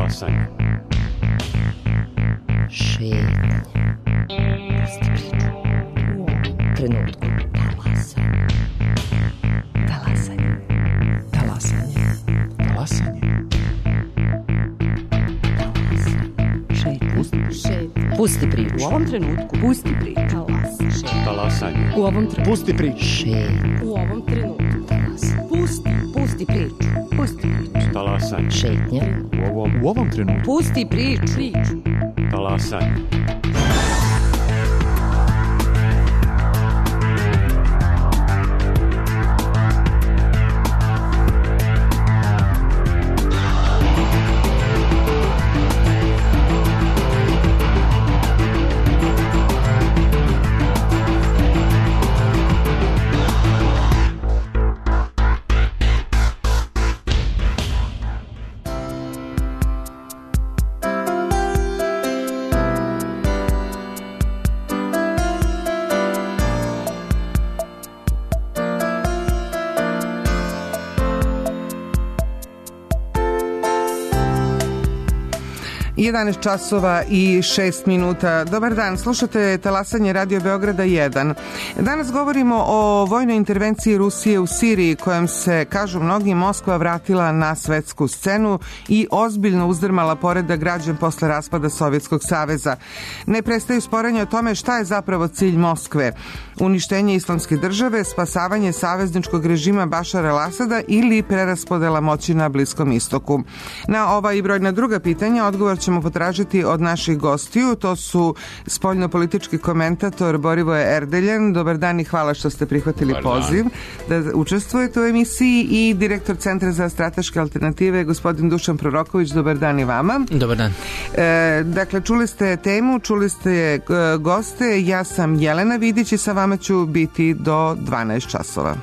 Talasanje. Šetnje. Pusti priču. U ovom trenutku. Talasanje. Talasanje. Talasanje. Pusti priču. U ovom trenutku. Pusti priču. Talasanje. U ovom trenutku. Pusti priču. U ovom trenutku. Pusti priču. Pusti priču. Talasanje. Šetnja. U ovom trenutku. Pusti priču. Talasanje. Jedanaest časova i 6 minuta. Dobar dan, slušate Talasanje Radio Beograda 1. Danas govorimo o vojnoj intervenciji Rusije u Siriji, kojom se, kažu mnogi, Moskva vratila na svetsku scenu i ozbiljno uzdrmala poredak građan posle raspada Sovjetskog saveza. Ne prestaju sporenja o tome šta je zapravo cilj Moskve. Uništenje islamske države, spasavanje savezničkog režima Bašara al-Asada ili preraspodela moći na Bliskom istoku. Na ova i brojna druga pitanja odgovor ćemo potražiti od naših gostiju. To su spoljnopolitički komentator Borivoje Erdeljan. Dobar dan i hvala što ste prihvatili poziv da učestvujete u emisiji, i direktor Centra za strateške alternative gospodin Dušan Proroković. Dobar dan i vama. Dobar dan. Dakle, čuli ste temu, čuli ste goste. Ja sam Jelena Vidić i sa vama ću biti do 12 časova.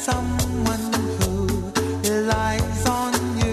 Someone who relies on you.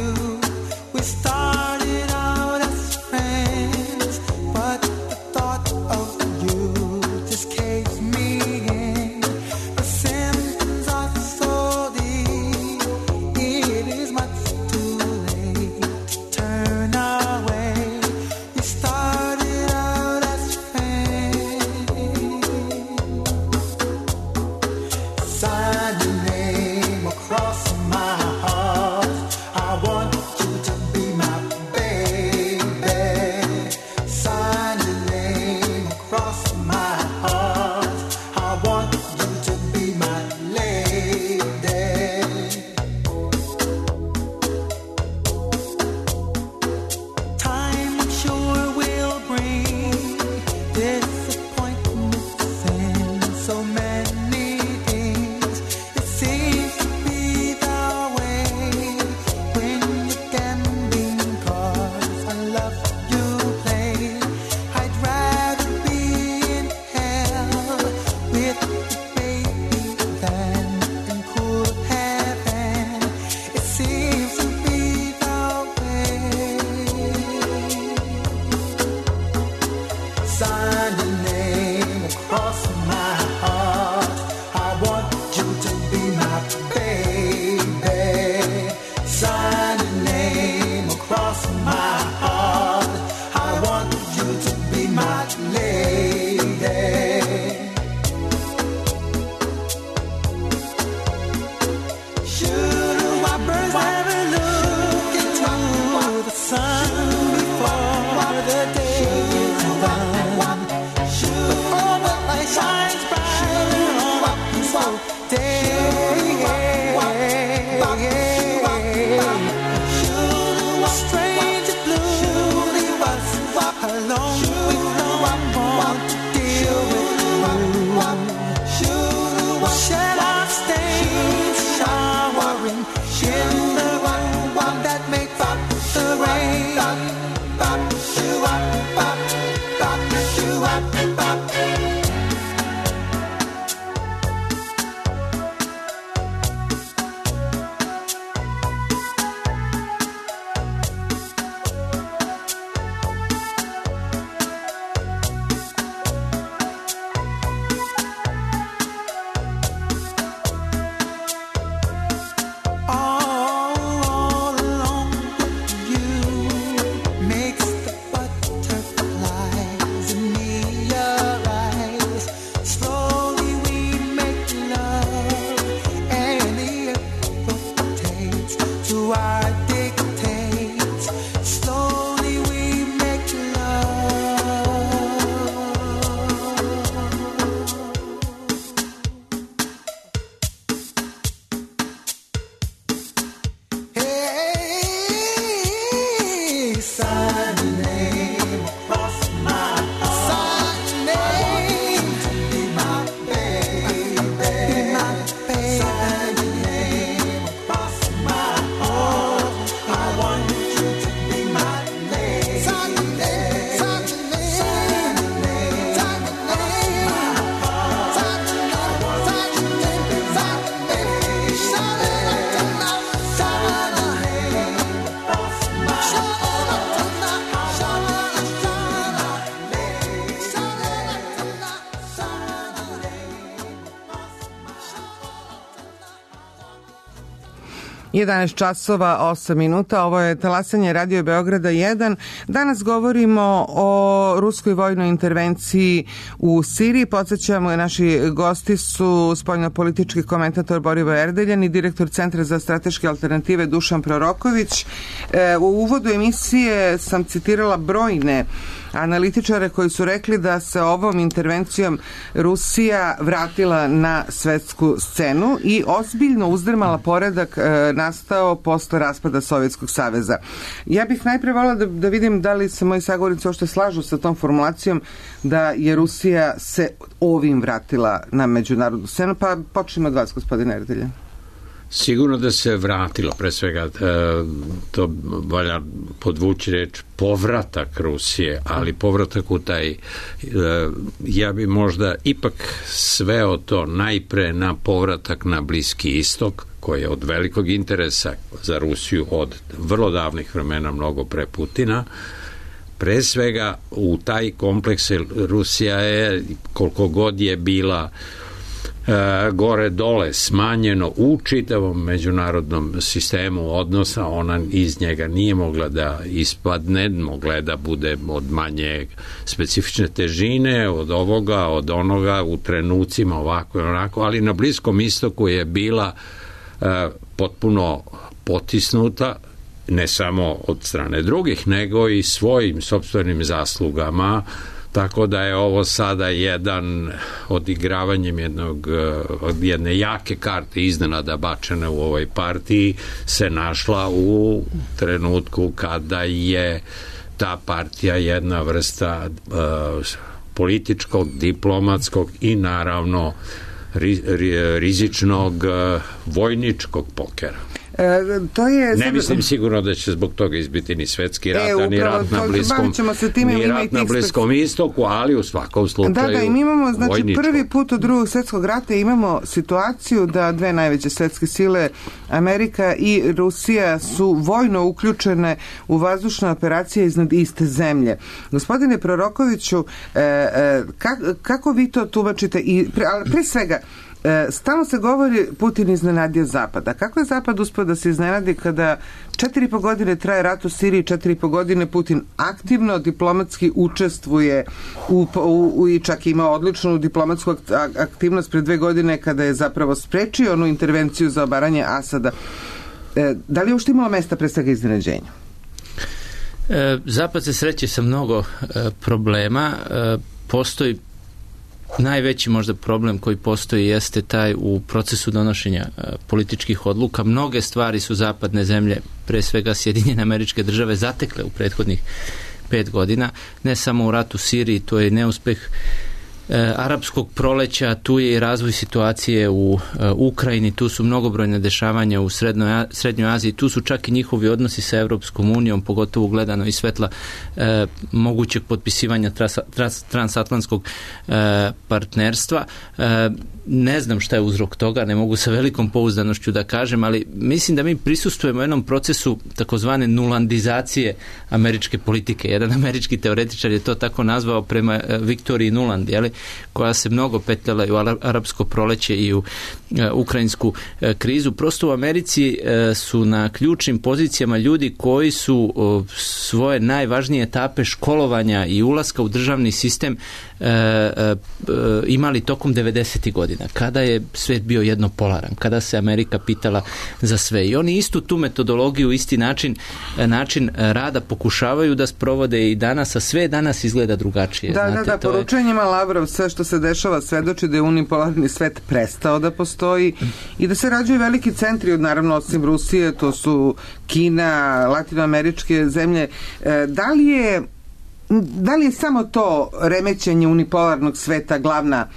11 časova 8 minuta, ovo je talasanje Radio Beograda 1. Danas govorimo o ruskoj vojnoj intervenciji u Siriji. Podsjećamo, naši gosti su spoljnopolitički komentator Borivoje Erdeljan i direktor Centra za strateške alternative Dušan Proroković. U uvodu emisije sam citirala brojne analitičare koji su rekli da se ovom intervencijom Rusija vratila na svetsku scenu i ozbiljno uzdrmala poredak nastao posle raspada Sovjetskog saveza. Ja bih najpre volila da vidim da li se moji sagovornici uopšte slažu sa tom formulacijom da je Rusija se ovim vratila na međunarodnu scenu, pa počnemo od vas, gospodine Erdeljan. Sigurno da se vratilo, pre svega to valja podvući reč povratak Rusije, ali povratak u taj, ja bi možda ipak sveo to najpre na povratak na Bliski istok, koji je od velikog interesa za Rusiju od vrlo davnih vremena, mnogo pre Putina. Pre svega u taj kompleks Rusija je, koliko god je bila gore dole smanjeno u čitavom međunarodnom sistemu odnosa, ona iz njega nije mogla da ispadne, mogla je da bude od manje specifične težine, od ovoga, od onoga, u trenucima ovako i onako, ali na Bliskom istoku je bila potpuno potisnuta, ne samo od strane drugih, nego i svojim sopstvenim zaslugama. Tako da je ovo sada jedan odigravanjem jedne jake karte iznenada bačene u ovoj partiji se našla u trenutku kada je ta partija jedna vrsta političkog, diplomatskog i naravno rizičnog vojničkog pokera. Ne mislim sigurno da će zbog toga izbiti ni svetski rat, ni rat na Bliskom istoku, ali u svakom slučaju i mi imamo, znači, prvi put od Drugog svjetskog rata imamo situaciju da dve najveće svetske sile, Amerika i Rusija, su vojno uključene u vazdušne operacije iznad iste zemlje. Gospodine Prorokoviću, kako vi to tumačite? Ali pre svega, stalno se govori Putin iznenadio Zapad. A kako je Zapad uspio da se iznenadi kada 4,5 godine traje rat u Siriji, 4,5 godine Putin aktivno diplomatski učestvuje i čak ima odličnu diplomatsku aktivnost pre 2 godine kada je zapravo sprečio onu intervenciju za obaranje Asada. Da li je uopšte imalo mesta pre svega iznenađenja? Zapad se sreće sa mnogo problema. Postoji najveći možda problem koji postoji jeste taj u procesu donošenja političkih odluka. Mnoge stvari su zapadne zemlje, pre svega Sjedinjene Američke Države, zatekle u prethodnih 5 godina. Ne samo u ratu u Siriji, to je neuspeh arapskog proleća, tu je i razvoj situacije u Ukrajini, tu su mnogobrojne dešavanja u Srednjoj Aziji, tu su čak i njihovi odnosi sa Evropskom unijom, pogotovo gledano iz svetla mogućeg potpisivanja transatlantskog partnerstva. Ne znam šta je uzrok toga, ne mogu sa velikom pouzdanošću da kažem, ali mislim da mi prisustvujemo jednom procesu takozvane nulandizacije američke politike. Jedan američki teoretičar je to tako nazvao prema Viktoriji Nuland, koja se mnogo petljala i u arapsko proleće i u ukrajinsku krizu. Prosto u Americi su na ključnim pozicijama ljudi koji su svoje najvažnije etape školovanja i ulaska u državni sistem imali tokom 90. godina, kada je svet bio jednopolaran, kada se Amerika pitala za sve. I oni istu tu metodologiju, isti način rada pokušavaju da sprovode i danas, a sve danas izgleda drugačije. Da, poručenjima Lavrov, sve što se dešava svedoči da je unipolarni svet prestao da postoji i da se rađuju veliki centri, naravno osim Rusije, to su Kina, latinoameričke zemlje. Da li je samo to remećenje unipolarnog sveta glavna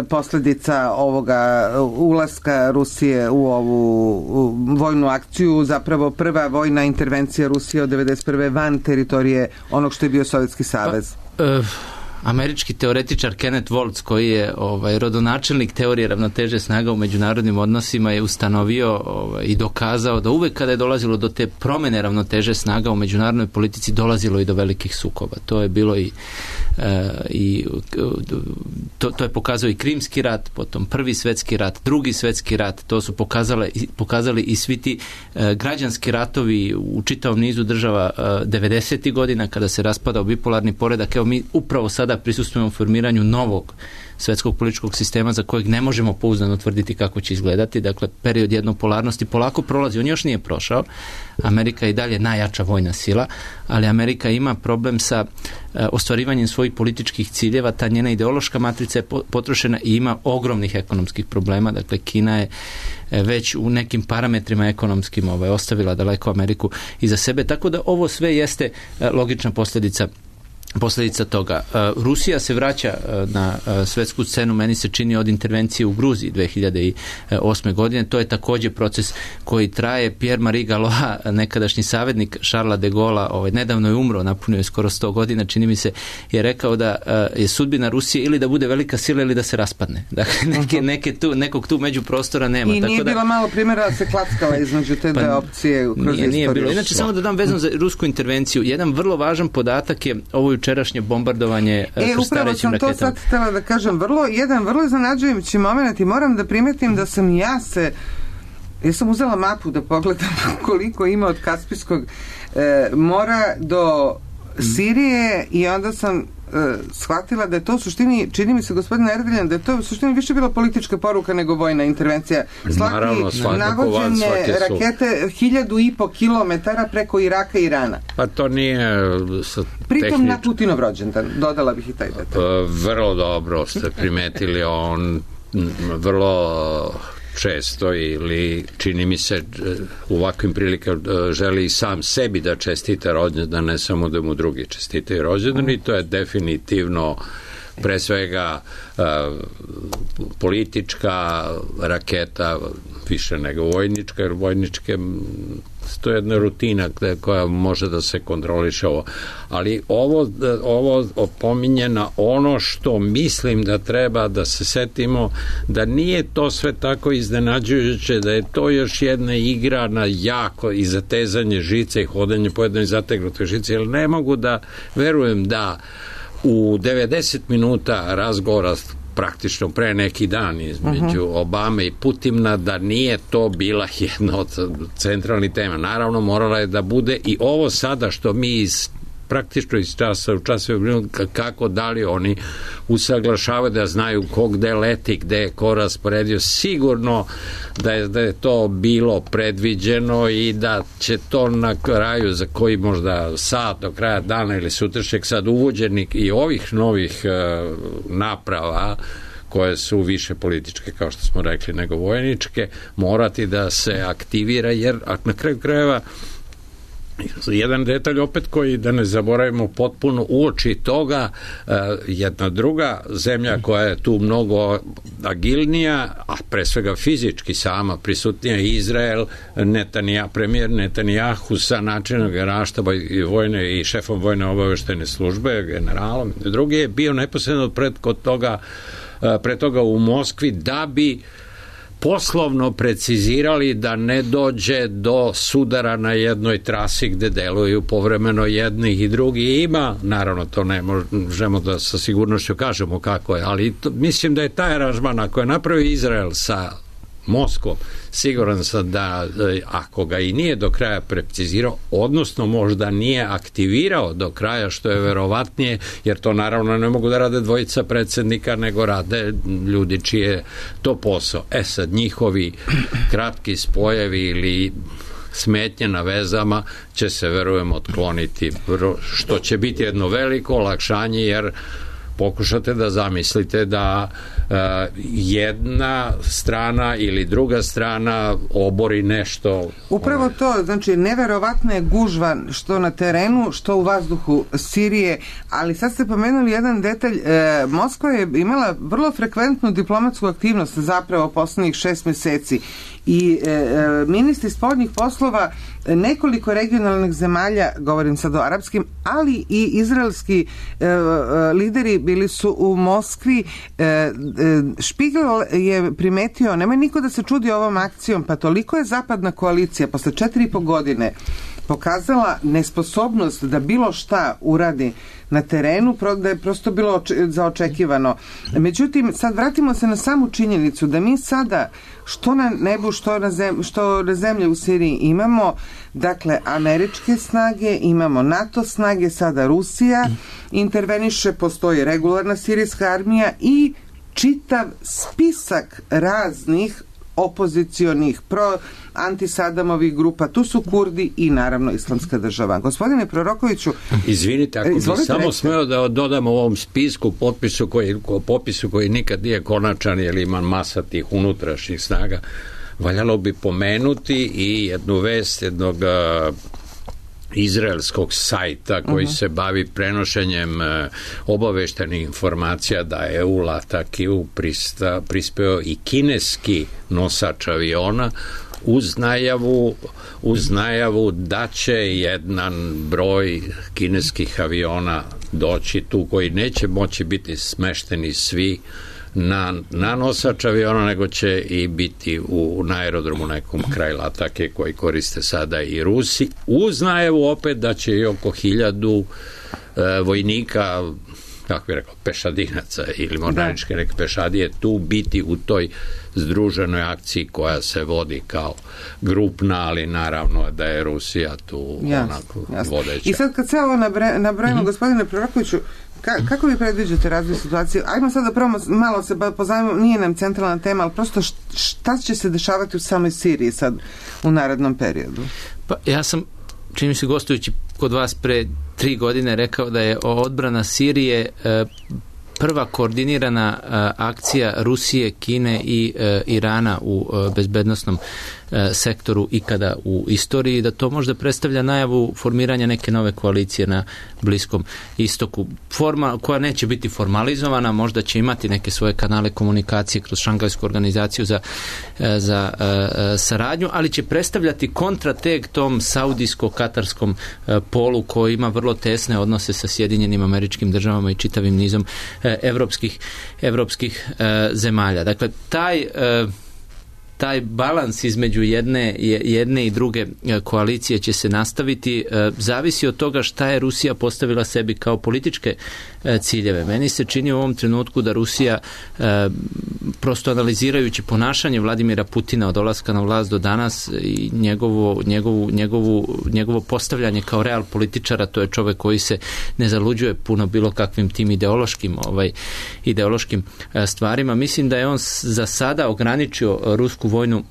posljedica ovoga ulaska Rusije u ovu vojnu akciju, zapravo prva vojna intervencija Rusije od 1991. van teritorije onog što je bio Sovjetski savez? američki teoretičar Kenneth Waltz, koji je rodonačelnik teorije ravnoteže snaga u međunarodnim odnosima, je ustanovio i dokazao da uvek kada je dolazilo do te promene ravnoteže snaga u međunarodnoj politici, dolazilo i do velikih sukoba. To je bilo to je pokazao i Krimski rat, potom Prvi svetski rat, Drugi svetski rat, to su pokazali i svi ti građanski ratovi u čitavom nizu država 90. godina kada se raspadao bipolarni poredak. Evo mi upravo sada prisustvujemo formiranju novog svetskog političkog sistema za kojeg ne možemo pouzdano tvrditi kako će izgledati. Dakle, period jednopolarnosti polako prolazi. On još nije prošao. Amerika je i dalje najjača vojna sila, ali Amerika ima problem sa ostvarivanjem svojih političkih ciljeva. Ta njena ideološka matrica je potrošena i ima ogromnih ekonomskih problema. Dakle, Kina je već u nekim parametrima ekonomskim ostavila daleko Ameriku iza sebe. Tako da ovo sve jeste logična posljedica toga. Rusija se vraća na svetsku scenu, meni se čini, od intervencije u Gruziji 2008. godine. To je također proces koji traje. Pierre-Marie Gallois, nekadašnji savjetnik Charlesa de Gaulle'a, nedavno je umro, napunio je skoro 100 godina, čini mi se, je rekao da je sudbina Rusije ili da bude velika sila ili da se raspadne. Dakle, nekog tu međuprostora nema. I nije bilo malo primjera da se klackala između te dve opcije kroz istoriju. Nije bilo. Inače, samo da dam vezano za rusku intervenciju. Jedan vrlo važan podatak je ovo jučerašnje bombardovanje upravo sam to sad htjela da kažem, jedan vrlo iznenađujući moment, i moram da primetim da sam ja sam uzela mapu da pogledam koliko ima od Kaspijskog mora do Sirije, i onda sam shvatila da je to u suštini, čini mi se, gospodine Erdeljan, da je to u suštini više bila politička poruka nego vojna intervencija. Navođenje rakete 1.500 kilometara preko Iraka i Irana. Pa to nije pritom na Putinov rođendan, dodala bih i taj detalj. Vrlo dobro ste primetili, on vrlo često, ili čini mi se u ovakvim prilikama želi sam sebi da čestita rođendan, ne samo da mu drugi čestitaju rođendan, i to je definitivno pre svega politička raketa, više nego vojnička, jer vojničke to je jedna rutina koja može da se kontroliše ovo. Ali ovo opominje na ono što mislim da treba da se setimo, da nije to sve tako iznenađujuće, da je to još jedna igra na jako i zatezanje žice i hodanje po jednoj zategnutoj žici, jer ne mogu da verujem da u 90 minuta razgovora praktično pre neki dan između Obame i Putina, da nije to bila jedna od centralnih tema. Naravno, morala je da bude i ovo sada što mi praktično iz časa u času kako da li oni usaglašavaju, da znaju gde leti, gde je ko rasporedio. Sigurno da je to bilo predviđeno i da će to na kraju, za koji možda sat do kraja dana ili sutrašnjeg, sad uvođenik i ovih novih naprava koje su više političke, kao što smo rekli, nego vojničke, morati da se aktivira, jer na kraju krajeva jedan detalj opet koji, da ne zaboravimo potpuno, uoči toga jedna druga zemlja koja je tu mnogo agilnija, a pre svega fizički sama prisutnija, Izrael, premijer Netanjahu sa načelnog generalštaba i vojne i šefom vojne obaveštajne službe, generalom, drugi je bio neposredno pre toga u Moskvi, da bi poslovno precizirali da ne dođe do sudara na jednoj trasi gde deluju povremeno jednih i drugi. Ima, naravno to ne možemo da sa sigurnošću kažemo kako je, ali mislim da je taj aranžman, ako je napravio Izrael sa Moskvom, siguran sam da ako ga i nije do kraja precizirao, odnosno možda nije aktivirao do kraja, što je verovatnije, jer to naravno ne mogu da rade dvojica predsjednika, nego rade ljudi čije to posao. Sad njihovi kratki spojevi ili smetnje na vezama će se, verujem, otkloniti, što će biti jedno veliko olakšanje, jer pokušate da zamislite da jedna strana ili druga strana obori nešto. Upravo to, znači neverovatna je gužva što na terenu, što u vazduhu Sirije, ali sad ste pomenuli jedan detalj. Moskva je imala vrlo frekventnu diplomatsku aktivnost zapravo poslednjih 6 meseci i ministri spoljnih poslova nekoliko regionalnih zemalja, govorim sad o arapskim, ali i izraelski lideri bili su u Moskvi. Špigel je primetio, nema niko da se čudi ovom akcijom, pa toliko je zapadna koalicija posle 4,5 godine pokazala nesposobnost da bilo šta uradi na terenu, da je prosto bilo zaočekivano. Međutim, sad vratimo se na samu činjenicu da mi sada što na nebu, što na zemlji u Siriji imamo, dakle, američke snage, imamo NATO snage, sada Rusija interveniše, postoji regularna sirijska armija i čitav spisak raznih opozicionih antisadamovih grupa, tu su Kurdi i naravno Islamska država. Gospodine Prorokoviću, izvinite, ako bi samo smeo da dodam ovom spisku popisu koji nikad nije konačan jer ima masa tih unutrašnjih snaga, valjalo bi pomenuti i jednu vest jednog izraelskog sajta koji se bavi prenošenjem obaveštenih informacija da je u Latakiju prispeo i kineski nosač aviona uz najavu da će jedan broj kineskih aviona doći tu koji neće moći biti smešteni svi na nosač aviona, nego će i biti na aerodromu nekom kraj Latake koji koriste sada i Rusi, uz najavu opet da će i oko 1000 vojnika, kako bih rekao, pešadinaca ili mornaričke neke pešadije tu biti u toj združenoj akciji koja se vodi kao grupna, ali naravno da je Rusija tu onako vodeća. I sad kad se ovo nabrojimo, gospodine Prorokoviću, kako vi predviđate razvoj situacije? Ajmo sad da prvo malo se pozajmimo, nije nam centralna tema, ali prosto šta će se dešavati u samoj Siriji sad u narednom periodu? Pa ja sam, čini mi se gostujući kod vas pre 3 godine rekao da je odbrana Sirije prva koordinirana akcija Rusije, Kine i Irana u bezbednosnom sektoru ikada u istoriji, da to možda predstavlja najavu formiranja neke nove koalicije na Bliskom istoku. Forma koja neće biti formalizovana, možda će imati neke svoje kanale komunikacije kroz Šangajsku organizaciju za saradnju, ali će predstavljati kontrateg tom saudijsko-katarskom polu koji ima vrlo tesne odnose sa Sjedinjenim Američkim Državama i čitavim nizom evropskih zemalja. Dakle, taj balans između jedne i druge koalicije će se nastaviti, zavisi od toga šta je Rusija postavila sebi kao političke ciljeve. Meni se čini u ovom trenutku da Rusija, prosto analizirajući ponašanje Vladimira Putina od dolaska na vlast do danas i njegovo postavljanje kao real političara, to je čovek koji se ne zaluđuje puno bilo kakvim tim ideološkim stvarima. Mislim da je on za sada ograničio rusku vojnu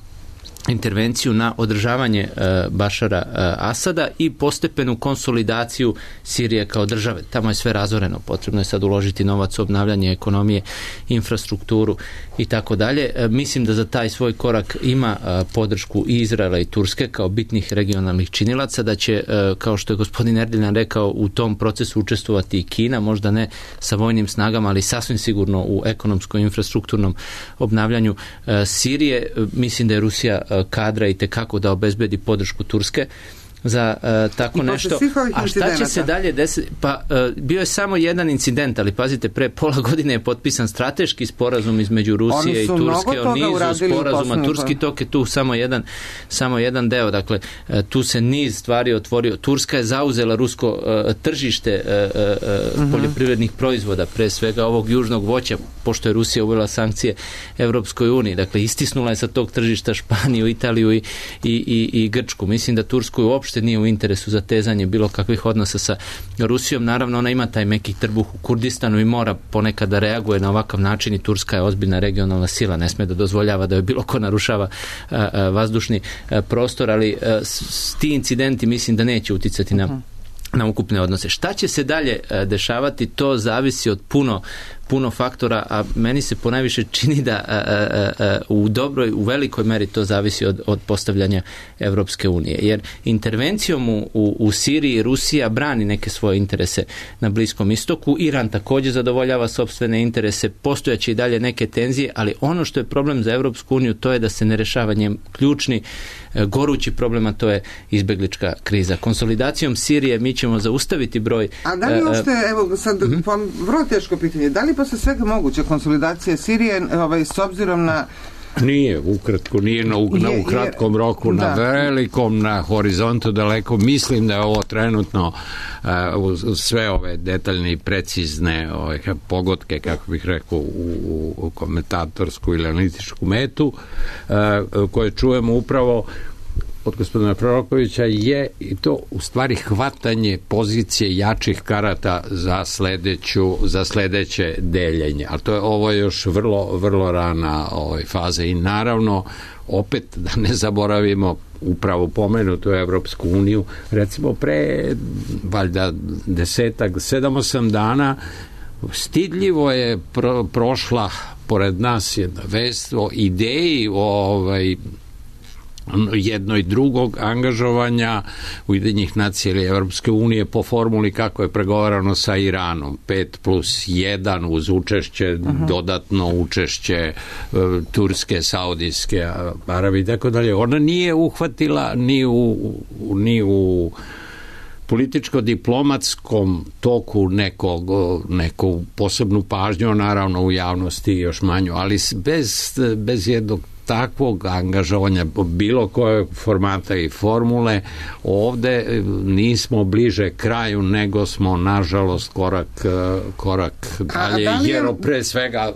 intervenciju na održavanje Bašara Asada i postepenu konsolidaciju Sirije kao države. Tamo je sve razoreno, potrebno je sad uložiti novac u obnavljanje ekonomije, infrastrukturu i tako dalje. Mislim da za taj svoj korak ima podršku i Izraela i Turske kao bitnih regionalnih činilaca, da će, kao što je gospodin Erdiljan rekao, u tom procesu učestvovati i Kina, možda ne sa vojnim snagama, ali sasvim sigurno u ekonomskom i infrastrukturnom obnavljanju Sirije. Mislim da je Rusija kadra i tekako da obezbedi podršku Turske za tako nešto. A šta će se dalje desiti? Pa bio je samo jedan incident, ali pazite, pre pola godine je potpisan strateški sporazum između Rusije i Turske o nizu sporazuma. Turski tok je tu samo jedan deo. Dakle, tu se niz stvari otvorio. Turska je zauzela rusko tržište poljoprivrednih proizvoda, pre svega ovog južnog voća, pošto je Rusija uvela sankcije Evropskoj uniji. Dakle, istisnula je sa tog tržišta Španiju, Italiju i Grčku. Mislim da Tursku uopšte nije u interesu za tezanje bilo kakvih odnosa sa Rusijom. Naravno, ona ima taj meki trbuh u Kurdistanu i mora ponekad da reaguje na ovakav način i Turska je ozbiljna regionalna sila, ne sme da dozvoljava da joj bilo ko narušava vazdušni prostor, ali ti incidenti mislim da neće uticati na ukupne odnose. Šta će se dalje dešavati, to zavisi od puno faktora, a meni se ponajviše čini da u velikoj meri to zavisi od postavljanja Evropske unije. Jer intervencijom u Siriji Rusija brani neke svoje interese na Bliskom istoku, Iran također zadovoljava sopstvene interese, postojaće i dalje neke tenzije, ali ono što je problem za Evropsku uniju to je da se ne rešava njen ključni gorući problem, a to je izbeglička kriza. Konsolidacijom Sirije mi ćemo zaustaviti broj... A da li uopšte, evo sad, vrlo teško pitanje, da li posle svega moguća konsolidacija Sirije s obzirom na... Nije, ukratko, nije u kratkom roku, na velikom, na horizontu daleko. Mislim da je ovo trenutno sve ove detaljne i precizne pogodke, kako bih rekao, u komentatorsku ili analitičku metu, koje čujemo upravo od gospodina Prorokovića, je i to u stvari hvatanje pozicije jačih karata za sledeće deljenje. Ali ovo je još vrlo rana faza i naravno opet da ne zaboravimo upravo pomenutu Evropsku uniju, recimo pre valjda 7-8 dana stidljivo je prošla pored nas jedna vest o ideji jedno i drugog angažovanja Ujedinjenih nacija ili Evropske unije po formuli kako je pregovarano sa Iranom, 5+1 uz učešće, dodatno učešće Turske, Saudijske, Arabi i tako dalje. Ona nije uhvatila ni u političko-diplomatskom toku neku posebnu pažnju, naravno u javnosti još manju, ali bez jednog takvog angažovanja bilo koje formata i formule, ovde nismo bliže kraju nego smo nažalost korak dalje, jer pre svega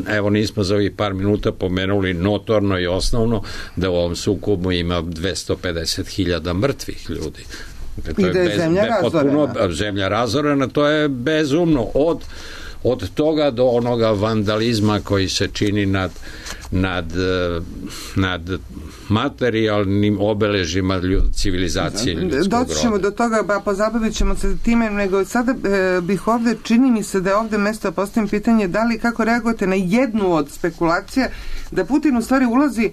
evo nismo za ovih par minuta pomenuli notorno i osnovno da u ovom sukobu ima 250.000 mrtvih ljudi. I da je zemlja razorena, to je bezumno od toga do onoga vandalizma koji se čini nad materijalnim obeležima civilizacije ljudskog roda. Doći ćemo do toga, pozabavit ćemo se time, nego sada bih ovde, čini mi se da je ovde mesto da postavim pitanje da li, kako reagujete na jednu od spekulacija da Putin u stvari ulazi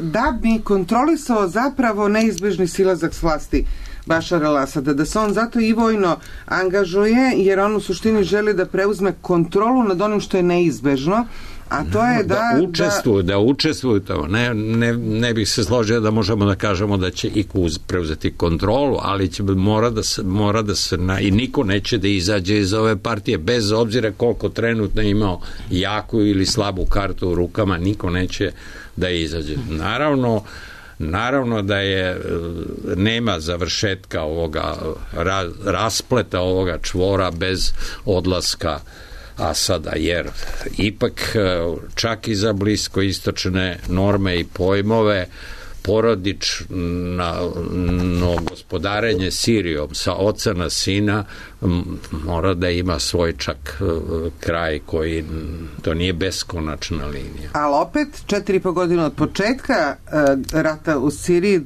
da bi kontrolisao zapravo neizbežni silazak s vlasti Bašara al-Asada, da se on zato i vojno angažuje, jer on u suštini želi da preuzme kontrolu nad onim što je neizbežno, a to je da učestvuju to. Ne bih se složio da možemo da kažemo da će IQ preuzeti kontrolu, ali mora da se i niko neće da izađe iz ove partije, bez obzira koliko trenutno imao jaku ili slabu kartu u rukama, niko neće da izađe. Naravno da nema završetka ovoga raspleta ovoga čvora bez odlaska Asada, jer ipak čak i za bliskoistočne norme i pojmove porodično gospodarenje Sirijom sa oca na sina mora da ima svoj čak kraj koji to nije beskonačna linija. Ali opet 4,5 godine od početka rata u Siriji,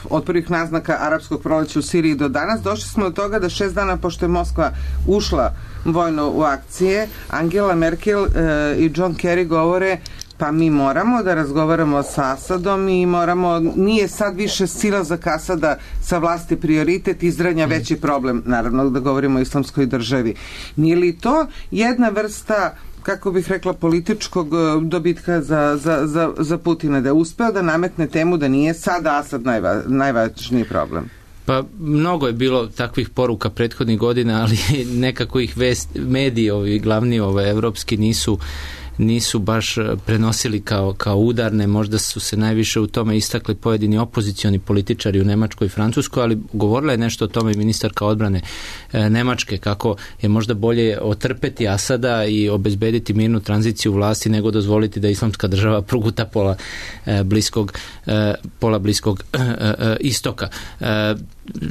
od prvih naznaka arapskog proleća u Siriji do danas, došli smo do toga da 6 dana pošto je Moskva ušla vojno u akcije, Angela Merkel i John Kerry govore pa mi moramo da razgovaramo sa Asadom i nije sad više silazak Asada sa vlasti prioritet, Izrael veći problem, naravno da govorimo o islamskoj državi. Nije li to jedna vrsta, kako bih rekla, političkog dobitka za Putina, da je uspeo da nametne temu da nije sada Asad najvažniji problem? Pa mnogo je bilo takvih poruka prethodnih godina, ali nekako ih mediji, ovi glavni evropski, nisu baš prenosili kao udarne, možda su se najviše u tome istakli pojedini opozicioni političari u Nemačkoj i Francuskoj, ali govorila je nešto o tome i ministarka odbrane Nemačke, kako je možda bolje otrpeti Asada i obezbediti mirnu tranziciju vlasti nego dozvoliti da islamska država proguta pola bliskog istoka.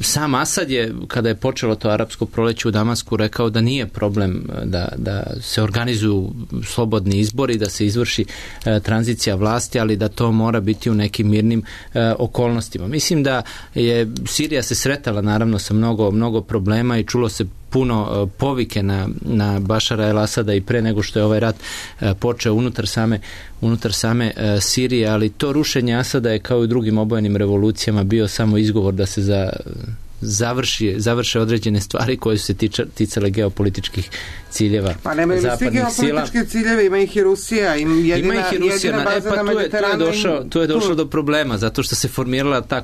sam Asad je, kada je počelo to arapsko proleće u Damasku, rekao da nije problem da se organizuju slobodni izbori, da se izvrši tranzicija vlasti, ali da to mora biti u nekim mirnim okolnostima. Mislim da je Sirija se sretala naravno sa mnogo problema i čulo se puno povike na Bašara el-Asada i pre nego što je ovaj rat počeo unutar same Sirije, ali to rušenje Asada je kao i u drugim obojenim revolucijama bio samo izgovor da se završe određene stvari koje su se ticale geopolitičkih ciljeva pa nemaju zapadnih sila. Geopolitičke ciljeve, ima ih i Rusija, jedina baza na Mediteranu. Tu je došlo do problema, zato što se formirala ta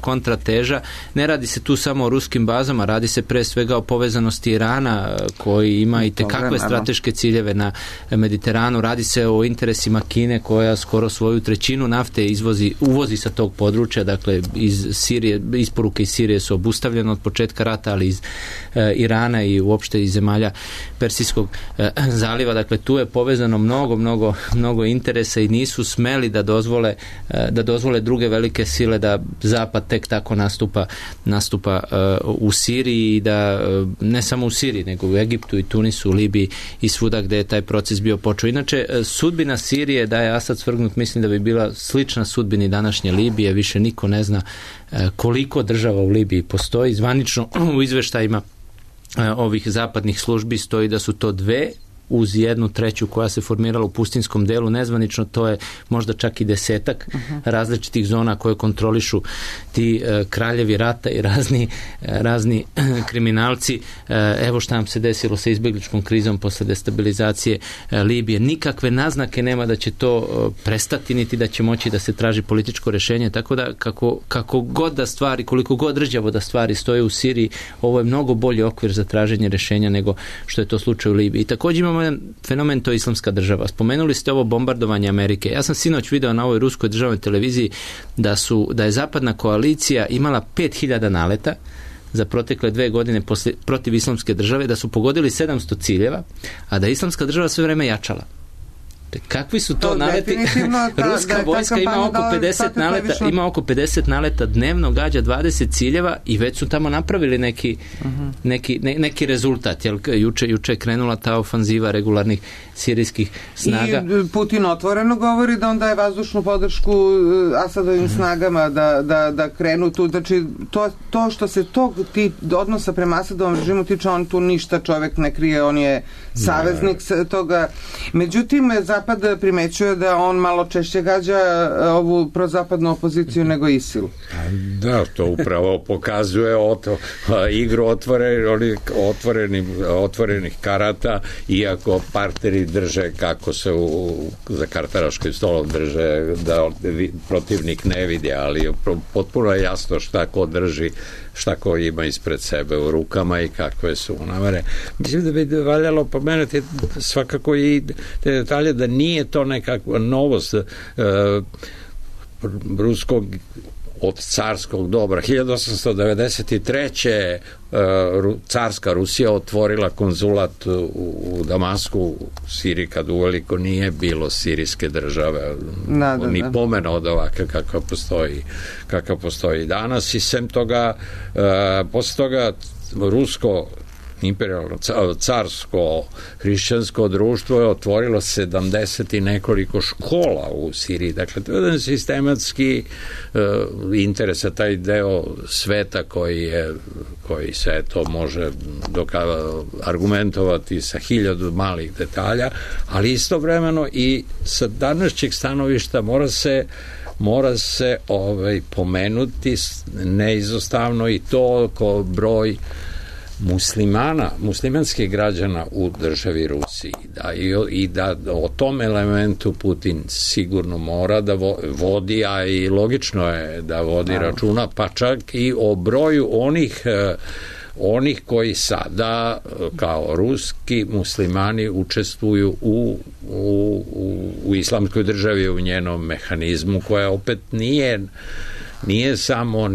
kontrateža. Ne radi se tu samo o ruskim bazama, radi se pre svega o povezanosti Irana, koji ima i tekakve strateške ciljeve na Mediteranu. Radi se o interesima Kine, koja skoro svoju trećinu nafte uvozi sa tog područja, dakle iz Sirije, isporuke iz Sirije su obustavljene od početka rata, ali iz Irana i uopšte iz zemalja Persijskog zaliva. Dakle, tu je povezano mnogo interesa i nisu smeli da dozvole druge velike sile da Zapad tek tako nastupa u Siriji i da ne samo u Siriji, nego u Egiptu i Tunisu, Libiji i svuda gde je taj proces bio počeo. Inače, sudbina Sirije, da je Asad svrgnut, mislim da bi bila slična sudbini današnje Libije. Više niko ne zna koliko država u Libiji postoji. Zvanično u izveštajima ovih zapadnih službi stoji da su to 2 uz 1/3 koja se formirala u pustinskom delu. Nezvanično to je možda čak i 10 različitih zona koje kontrolišu ti kraljevi rata i razni kriminalci. Evo šta nam se desilo sa izbjegličkom krizom posle destabilizacije Libije. Nikakve naznake nema da će to prestati, niti da će moći da se traži političko rešenje, tako da kako god da stvari, koliko god rđavo da stvari stoje u Siriji, ovo je mnogo bolji okvir za traženje rešenja nego što je to slučaj u Libiji. I također imamo jedan fenomen, to je Islamska država. Spomenuli ste ovo bombardovanje Amerike. Ja sam sinoć video na ovoj ruskoj državnoj televiziji da je zapadna koalicija imala 5000 naleta za protekle 2 godine protiv Islamske države, da su pogodili 700 ciljeva, a da je Islamska država sve vreme jačala. Kakvi su to naleti? Ruska vojska ima oko 50 naleta dnevno, gađa 20 ciljeva i već su tamo napravili neki rezultat. Juče je krenula ta ofanziva regularnih sirijskih snaga. I Putin otvoreno govori da on daje vazdušnu podršku Asadovim snagama da krenu tu. Znači, to što se odnosa prema Asadovom režimu tiče, on tu ništa čovek ne krije, on je saveznik toga. Međutim, Zapad primećuje da on malo češće gađa ovu prozapadnu opoziciju nego ISIL. Da, to upravo pokazuje igru otvorenih karata, iako partneri drže kako se za kartaraškim stolom drže, da protivnik ne vidi, ali potpuno je jasno šta ko drži, šta ko ima ispred sebe u rukama i kakve su namere. Mislim da bi valjalo pomenuti svakako i te detalje da nije to nekakva novost ruskog od carskog dobra. 1893. carska Rusija otvorila konzulat u Damasku, u Siriji, kad uveliko nije bilo sirijske države, ni pomena od ovakve kakva postoji danas, i sem toga posle toga rusko imperijalno carsko hrišćansko društvo je otvorilo 70 i nekoliko škola u Siriji. Dakle, to je jedan sistematski interesa, taj deo sveta koji se to može argumentovati sa 1000 malih detalja, ali istovremeno i sa današnjeg stanovišta mora se pomenuti neizostavno i to ko broj muslimanskih građana u državi Rusiji. I da o tom elementu Putin sigurno mora da vodi, a i logično je da vodi računa, pa čak i o broju onih koji sada kao ruski muslimani učestvuju u islamskoj državi, u njenom mehanizmu, koja opet nije samo,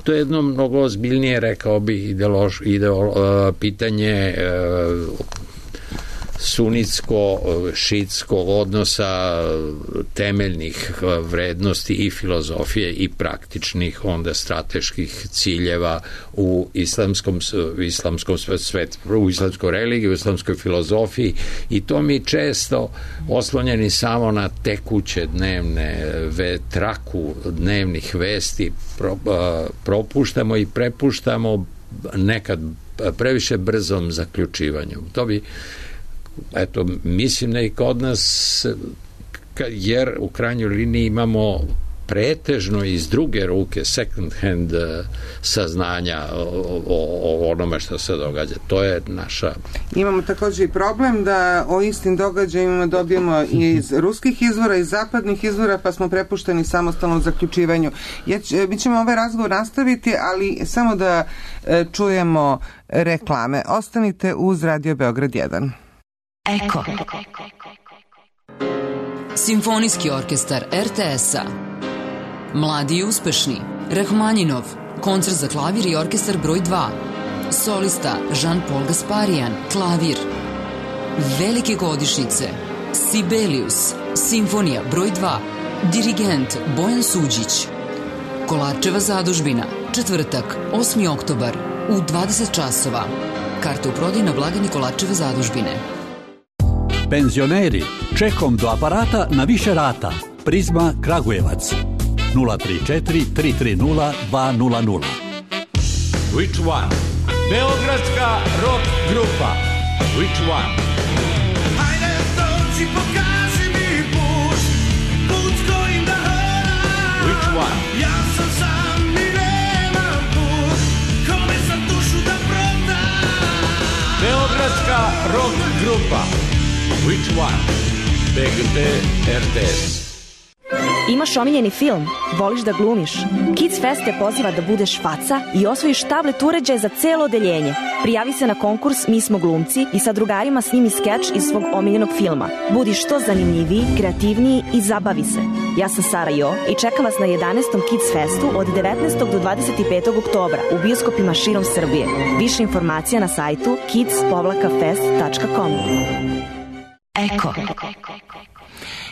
to je jedno mnogo ozbiljnije, rekao bih, pitanje sunitsko-šitskog odnosa, temeljnih vrednosti i filozofije i praktičnih onda strateških ciljeva u islamskom svetu, u islamskoj religiji, u islamskoj filozofiji, i to mi često oslonjeni samo na tekuće dnevne traku dnevnih vesti propuštamo i prepuštamo nekad previše brzom zaključivanju. To bi, eto, mislim da i kod nas, jer u krajnjoj liniji imamo pretežno iz druge ruke second hand saznanja o onome što se događa. To je naša... Imamo također i problem da o istim događajima dobijemo iz ruskih izvora, iz zapadnih izvora, pa smo prepušteni samostalnom zaključivanju. Mi ćemo ovaj razgovor nastaviti, ali samo da čujemo reklame. Ostanite uz Radio Beograd 1. Eko. Simfonijski orkestar RTS-a. Mladi i uspešni. Rahmanjinov. Koncert za klavir i orkestar broj 2. Solista Jean-Paul Gasparian. Klavir. Velike godišnjice. Sibelius. Simfonija broj 2. Dirigent Bojan Suđić. Kolarčeva zadužbina. Četvrtak, 8. oktobar u 20 časova. Karte u prodaju na blagajni Kolarčeve zadužbine. Penzioneri, čekom do aparata na više rata. Prizma Kragujevac. 034 330 200. Which one? Beogradska rock grupa. Which one? Hajde dođi, pokaži mi put, put kojim da hodam. Which one? Ja sam sam i nemam put, kome sam dušu da prodam. Beogradska rock grupa. Which one? BGT RTS. Imaš omiljeni film? Voliš da glumiš? Kids Fest te poziva da budeš faca i osvojiš tablet uređaje za celo odeljenje. Prijavi se na konkurs Mi smo glumci i sa drugarima snimi skeč iz svog omiljenog filma. Budi što zanimljiviji, kreativniji i zabavi se. Ja sam Sara Jo i čekam vas na 11. Kids Festu od 19. do 25. oktobra u bioskopima širom Srbije. Više informacija na sajtu kids-fest.com. Eko.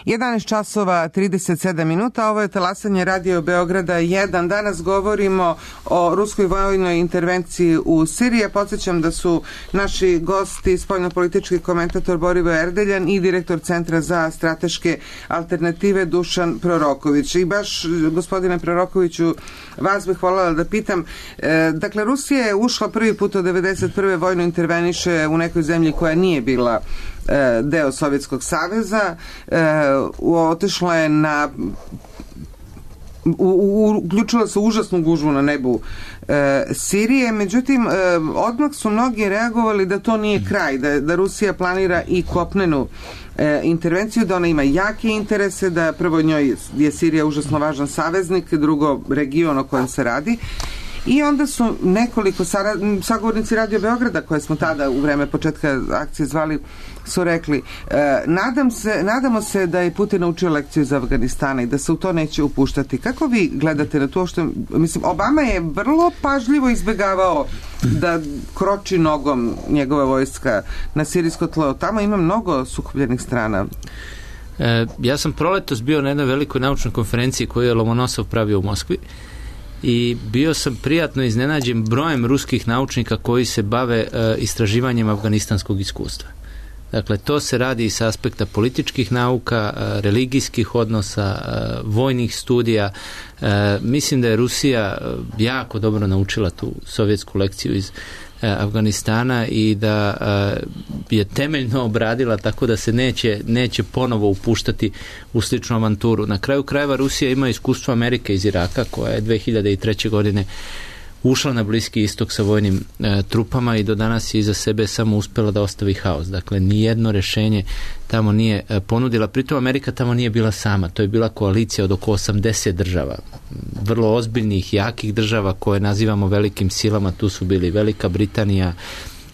11 časova 37 minuta, ovo je talasanje Radio Beograda 1. Danas govorimo o ruskoj vojnoj intervenciji u Siriji. Podsjećam da su naši gosti spoljnopolitički komentator Borivo Erdeljan i direktor Centra za strateške alternative Dušan Proroković. I baš, gospodine Prorokoviću, vas bih voljela da pitam, dakle, Rusija je ušla prvi put od 1991. vojno interveniše u nekoj zemlji koja nije bila deo Sovjetskog saveza, otišla je na uključila se užasnu gužvu na nebu Sirije, međutim odmah su mnogi reagovali da to nije kraj, da Rusija planira i kopnenu intervenciju, da ona ima jake interese, da prvo njoj je Sirija užasno važan saveznik, drugo region o kojem se radi. I onda su nekoliko sagovornici Radio Beograda, koje smo tada u vreme početka akcije zvali, su rekli, nadamo se da je Putin naučio lekciju iz Afganistana i da se u to neće upuštati. Kako vi gledate na to što, mislim, Obama je vrlo pažljivo izbegavao da kroči nogom njegova vojska na sirijsko tlo. Tamo ima mnogo sukobljenih strana. Ja sam proletos bio na jednoj velikoj naučnoj konferenciji koju je Lomonosov pravio u Moskvi i bio sam prijatno iznenađen brojem ruskih naučnika koji se bave istraživanjem afganistanskog iskustva. Dakle, to se radi i sa aspekta političkih nauka, religijskih odnosa, vojnih studija. Mislim da je Rusija jako dobro naučila tu sovjetsku lekciju iz Afganistana i da je temeljno obradila, tako da se neće ponovo upuštati u sličnu avanturu. Na kraju krajeva Rusija ima iskustvo Amerike iz Iraka, koja je 2003. godine ušla na Bliski istok sa vojnim trupama i do danas je iza sebe samo uspjela da ostavi haos. Dakle, nijedno rješenje tamo nije ponudila. Pritom Amerika tamo nije bila sama. To je bila koalicija od oko 80 država. Vrlo ozbiljnih, jakih država koje nazivamo velikim silama. Tu su bili Velika Britanija,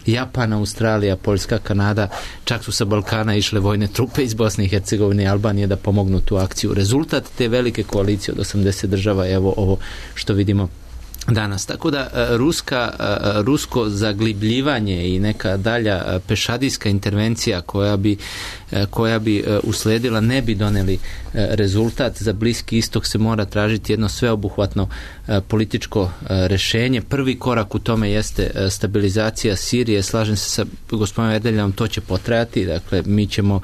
Japan, Australija, Poljska, Kanada. Čak su sa Balkana išle vojne trupe iz Bosne i Hercegovine i Albanije da pomognu tu akciju. Rezultat te velike koalicije od 80 država je evo ovo što vidimo danas. Tako da rusko zaglibljivanje i neka dalja pešadijska intervencija koja bi usledila ne bi doneli rezultat. Za Bliski istok se mora tražiti jedno sveobuhvatno političko rešenje. Prvi korak u tome jeste stabilizacija Sirije. Slažem se sa gospodinom Erdeljom, to će potrajati. Dakle, mi ćemo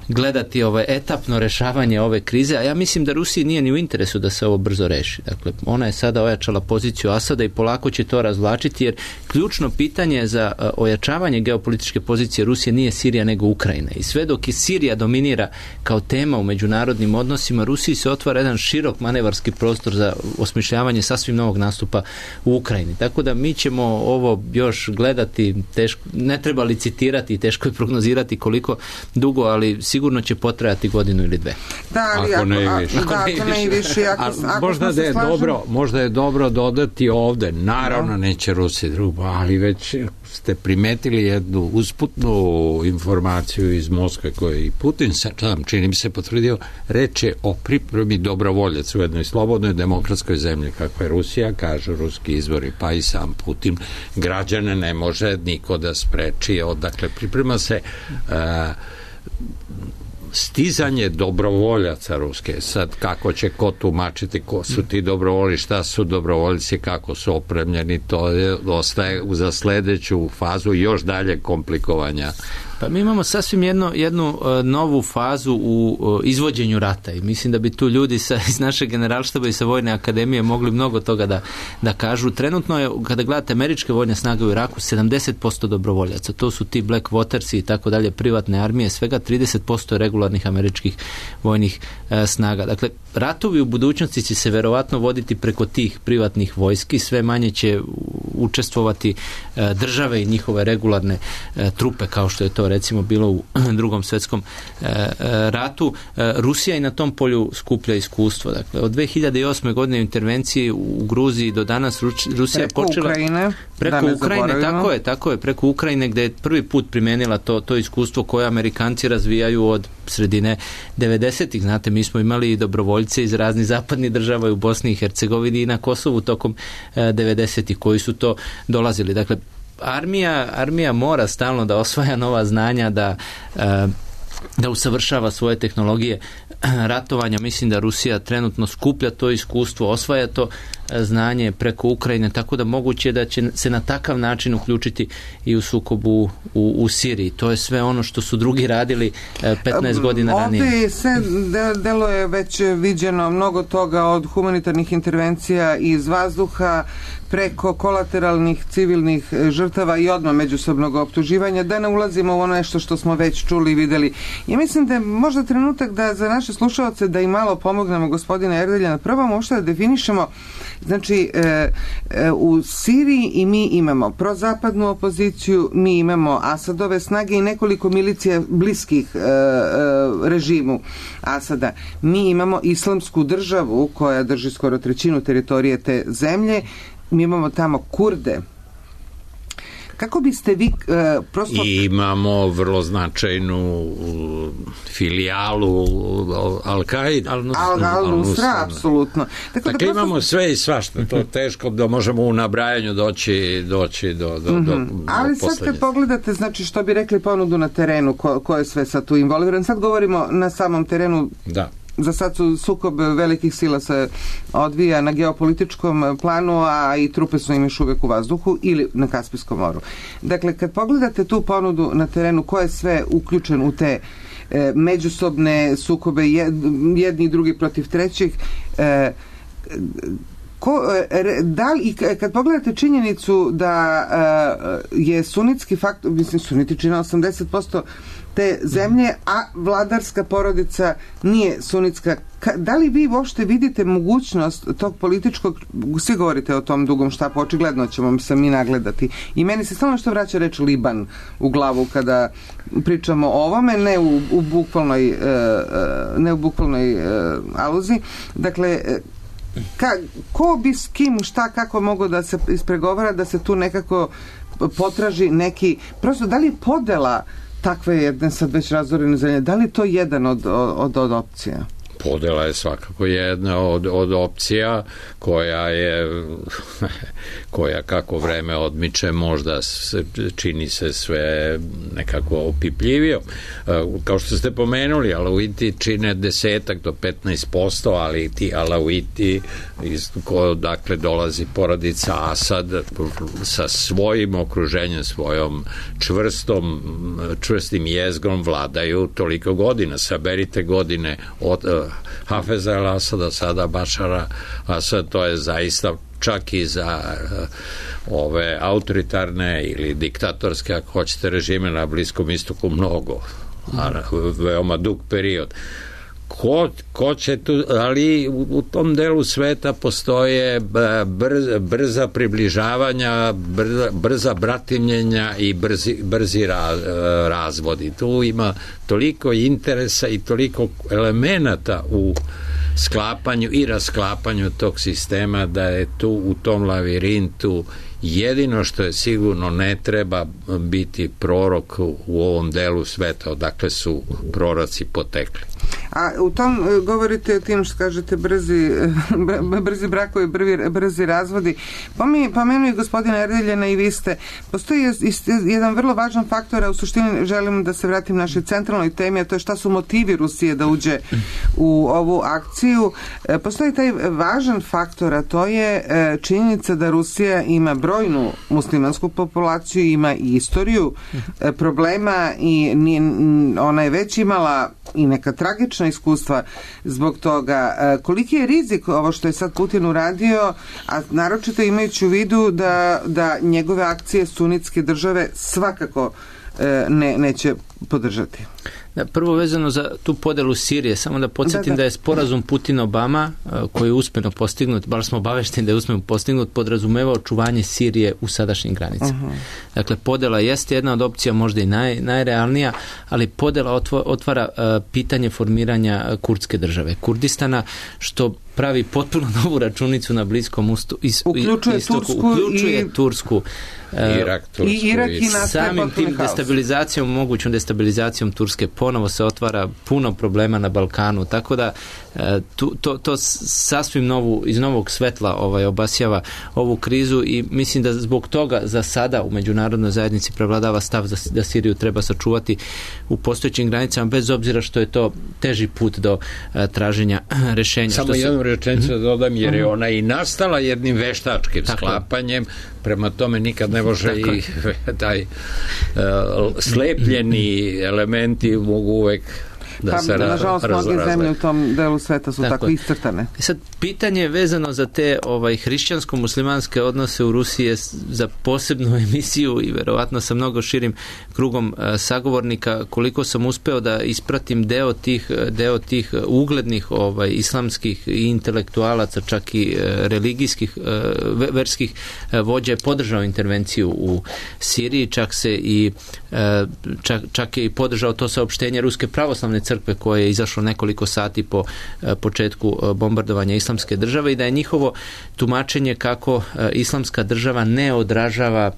gledati etapno rešavanje ove krize, a ja mislim da Rusiji nije ni u interesu da se ovo brzo reši. Dakle, ona je sada ojačala poziciju Asada i polako će to razvlačiti, jer ključno pitanje za ojačavanje geopolitičke pozicije Rusije nije Sirija nego Ukrajina. I sve dok je Sirija dominira kao tema u međunarodnim odnosima, Rusiji se otvara jedan širok manevarski prostor za osmišljavanje sasvim novog nastupa u Ukrajini. Tako da mi ćemo ovo još gledati, teško, ne treba licitirati, teško je prognozirati koliko dugo, ali sigurno će potrajati godinu ili dve. Da, ali ako ne i više. Možda je dobro dodati ovde. Naravno, neće Rusija drugo, ali već ste primetili jednu usputnu informaciju iz Moskve koju i Putin sam, čini mi se, potvrdio, reče o pripremi dobrovoljaca u jednoj slobodnoj demokratskoj zemlji kakva je Rusija, kažu ruski izvori, pa i sam Putin. Građane ne može niko da spreči. Dakle, priprema se stizanje dobrovoljaca ruske. Sad, kako će ko tumačiti, ko su ti dobrovolji, šta su dobrovoljci, kako su opremljeni, to ostaje za sledeću fazu još dalje komplikovanja. Pa mi imamo sasvim jednu novu fazu u izvođenju rata i mislim da bi tu ljudi iz naše generalštaba i sa Vojne akademije mogli mnogo toga da kažu. Trenutno je, kada gledate američke vojne snage u Iraku, 70% dobrovoljaca. To su ti Black Watersi i tako dalje, privatne armije, svega 30% regularnih američkih vojnih snaga. Dakle, ratovi u budućnosti će se verovatno voditi preko tih privatnih vojski, sve manje će učestvovati države i njihove regularne trupe, kao što je to recimo bilo u Drugom svjetskom ratu. Rusija i na tom polju skuplja iskustvo. Dakle, od 2008. godine intervenciji u Gruziji do danas Rusija počela preko Ukrajine, tako je, preko Ukrajine, gdje je prvi put primenila to iskustvo koje Amerikanci razvijaju od sredine 90-ih. Znate, mi smo imali i dobrovoljce iz raznih zapadnih država u Bosni i Hercegovini i na Kosovu tokom 90-ih koji su to dolazili. Dakle, armija mora stalno da osvaja nova znanja, da usavršava svoje tehnologije ratovanja. Mislim da Rusija trenutno skuplja to iskustvo, osvaja to znanje preko Ukrajine, tako da moguće da će se na takav način uključiti i u sukobu u Siriji. To je sve ono što su drugi radili 15 godina ranije. Ovdje se delo je već viđeno mnogo toga, od humanitarnih intervencija iz vazduha preko kolateralnih civilnih žrtava i odmah međusobnog optuživanja, da ne ulazimo u ono nešto što smo već čuli i videli. Ja mislim da je možda trenutak da za naše slušalce da im malo pomognemo, gospodina Erdeljana, probamo uopšte da definišemo. Znači, u Siriji i mi imamo prozapadnu opoziciju, mi imamo Asadove snage i nekoliko milicija bliskih režimu Asada. Mi imamo islamsku državu koja drži skoro trećinu teritorije te zemlje. Mi imamo tamo Kurde. Kako biste vi prosto... I imamo vrlo značajnu filijalu Al-Qaida. Al-Nusra, apsolutno. Dakle, imamo sve i svašta. To je teško da možemo u nabrajanju doći do ali sad kad pogledate, znači, što bi rekli ponudu na terenu, ko je sve sad tu involviran, sad govorimo na samom terenu. Da. Za sad sukob velikih sila se odvija na geopolitičkom planu, a i trupe su im još uvijek u vazduhu ili na Kaspijskom moru. Dakle, kad pogledate tu ponudu na terenu, ko je sve uključen u te međusobne sukobe, jedni i drugi protiv trećih, kad pogledate činjenicu da je sunitski faktor, mislim, suniti čine 80% te zemlje, a vladarska porodica nije sunitska. Da li vi uopšte vidite mogućnost tog političkog, svi govorite o tom dugom štapu, očigledno ćemo se mi nagledati. I meni se stalno što vraća reč Liban u glavu kada pričamo o ovome, ne u bukvalnoj aluziji. Dakle, ko bi s kim, šta, kako mogu da se ispregovara, da se tu nekako potraži neki, prosto, da li je podela takve jedne sad već razorene zemlje, da li je to jedan od opcija? podela je svakako jedna od opcija koja kako vreme odmiče možda čini se sve nekako opipljivio. Kao što ste pomenuli, Alauiti čine 10 do 15%, ali ti Alauiti dakle dolazi porodica Asad sa svojim okruženjem, svojom čvrstim jezgrom vladaju toliko godina. Saberite godine od Hafeza el-Asada, sada Bašara Asad, to je zaista čak i za ove autoritarne ili diktatorske, ako hoćete, režime na Bliskom istoku mnogo, veoma dug period. Ko će tu, ali u tom delu sveta postoje brza približavanja, brza bratimljenja i brzi razvodi. Tu ima toliko interesa i toliko elemenata u sklapanju i rasklapanju tog sistema da je tu u tom lavirintu jedino što je sigurno ne treba biti prorok u ovom delu sveta odakle su proroci potekli. A u tom govorite o tim što kažete brzi brakovi, brzi razvodi. Pomenuli gospodina Erdeljana i vi ste, postoji jedan vrlo važan faktor, a u suštini želim da se vratim našoj centralnoj temi, a to je šta su motivi Rusije da uđe u ovu akciju. Postoji taj važan faktor, a to je činjenica da Rusija ima brojnu muslimansku populaciju, ima i istoriju problema i ona je već imala i neka tragična iskustva zbog toga. Koliki je rizik ovo što je sad Putin uradio, a naročito imajući u vidu da njegove akcije sunitske države svakako neće podržati? Da, prvo vezano za tu podelu Sirije, samo da podsjetim da je sporazum Putin-Obama koji je uspjeno postignut, baš smo obavešteni da je uspjeno postignut, podrazumevao očuvanje Sirije u sadašnjim granicama. Dakle, podela jeste jedna od opcija, možda i najrealnija, ali podela otvara pitanje formiranja kurdske države, Kurdistana, što pravi potpuno novu računicu na Bliskom istoku, uključuje Tursku, Irak, i samim tim mogućom destabilizacijom Turske ponovo se otvara puno problema na Balkanu, tako da to sasvim iz novog svetla obasjava ovu krizu i mislim da zbog toga za sada u međunarodnoj zajednici prevladava stav da Siriju treba sačuvati u postojećim granicama, bez obzira što je to teži put do traženja rešenja. Samo jednu rečenicu da dodam, jer je ona i nastala jednim veštačkim sklapanjem, prema tome nikad ne može i taj slepljeni elementi mogu uvek da se nažalost mnoge zemlje u tom delu sveta su tako iscrtane. Sad, pitanje vezano za te hrišćansko-muslimanske odnose u Rusiji je za posebnu emisiju i verovatno sa mnogo širim krugom sagovornika. Koliko sam uspeo da ispratim deo tih uglednih islamskih i intelektualaca, čak i religijskih, verskih vođa je podržao intervenciju u Siriji, čak je i podržao to saopštenje Ruske pravoslavne crkve koje je izašlo nekoliko sati po početku bombardovanja islamske države i da je njihovo tumačenje kako islamska država ne odražava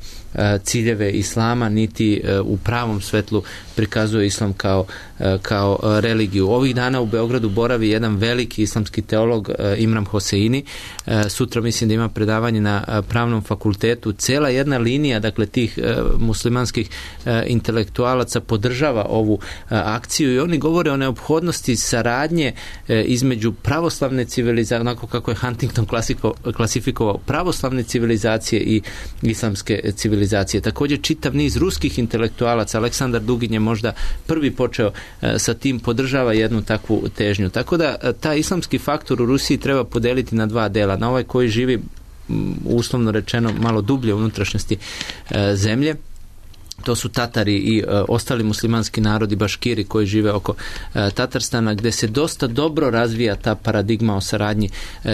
ciljeve islama niti u pravom svetlu prikazuje islam kao religiju. Ovih dana u Beogradu boravi jedan veliki islamski teolog Imran Hoseini. Sutra mislim da ima predavanje na pravnom fakultetu. Cela jedna linija, dakle, tih muslimanskih intelektualaca podržava ovu akciju i oni govore o neophodnosti saradnje između pravoslavne civilizacije, onako kako je Huntington klasifikovao pravoslavne civilizacije i islamske civilizacije. Također čitav niz ruskih intelektualaca, Aleksandar Dugin je možda prvi počeo sa tim, podržava jednu takvu težnju. Tako da taj islamski faktor u Rusiji treba podeliti na dva dela. Na ovaj koji živi, uslovno rečeno, malo dublje u unutrašnjosti zemlje. To su Tatari i ostali muslimanski narodi, Baškiri koji žive oko Tatarstana, gdje se dosta dobro razvija ta paradigma o saradnji